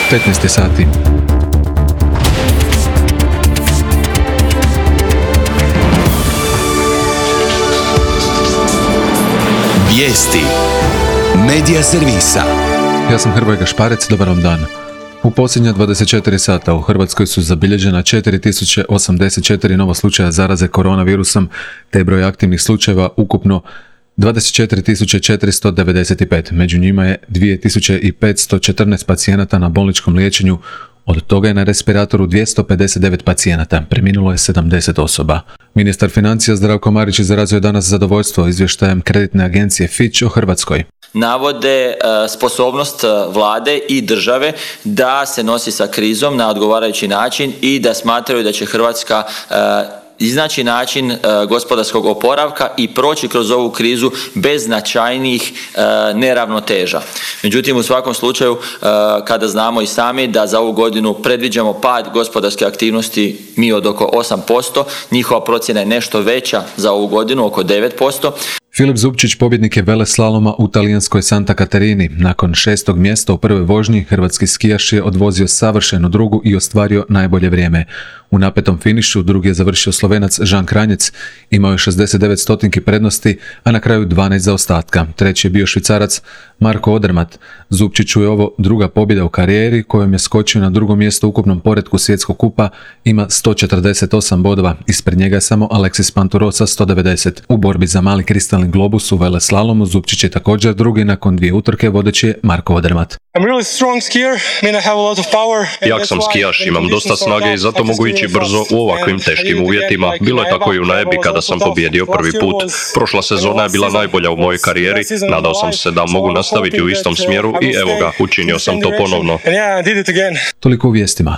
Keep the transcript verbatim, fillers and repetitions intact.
petnaest sati. Vijesti Medija servisa. Ja sam Hrvoje Gašparec, dobar vam dan. U posljednja dvadeset četiri sata u Hrvatskoj su zabilježena četiri tisuće osamdeset četiri nova slučaja zaraze koronavirusom, te broj aktivnih slučajeva ukupno dvadeset četiri tisuće četiristo devedeset pet. Među njima je dvije tisuće petsto četrnaest pacijenata na bolničkom liječenju, od toga je na respiratoru dvjesto pedeset devet pacijenata, preminulo je sedamdeset osoba. Ministar financija Zdravko Marić izrazio je danas zadovoljstvo izvještajem kreditne agencije Fitch o Hrvatskoj. Navode uh, sposobnost uh, vlade i države da se nosi sa krizom na odgovarajući način i da smatraju da će Hrvatska uh, iznaći način uh, gospodarskog oporavka i proći kroz ovu krizu bez značajnijih uh, neravnoteža. Međutim, u svakom slučaju, uh, kada znamo i sami da za ovu godinu predviđamo pad gospodarske aktivnosti mi od oko osam posto, njihova procjena je nešto veća za ovu godinu, oko devet posto. Filip Zupčić pobjednik je veleslaloma u talijanskoj Santa Katarini. Nakon šestog mjesta u prvoj vožnji, hrvatski skijaš je odvozio savršenu drugu i ostvario najbolje vrijeme. U napetom finišu drugi je završio Slovenac Žan Kranjec, imao je šezdeset devet stotinki prednosti, a na kraju dvanaest zaostatka. Treći je bio Švicarac Marko Odermatt. Zupčiću je ovo druga pobjeda u karijeri, kojom je skočio na drugo mjesto u ukupnom poretku svjetskog kupa, ima sto četrdeset osam bodova, ispred njega je samo Alexis Pinturo sa sto devedeset. U borbi za mali kristalni globus u veleslalomu Zupčić je također drugi, nakon dvije utrke vodeći je Marko Odermatt. Jak sam skijaš, imam dosta snage i zato mogu ići brzo u ovakvim teškim uvjetima. Bilo je tako i u Najebi kada sam pobjedio prvi put. Prošla sezona je bila najbolja u mojoj karijeri, nadao sam se da mogu nastaviti u istom smjeru i evo ga, učinio sam to ponovno. Toliko u vijestima.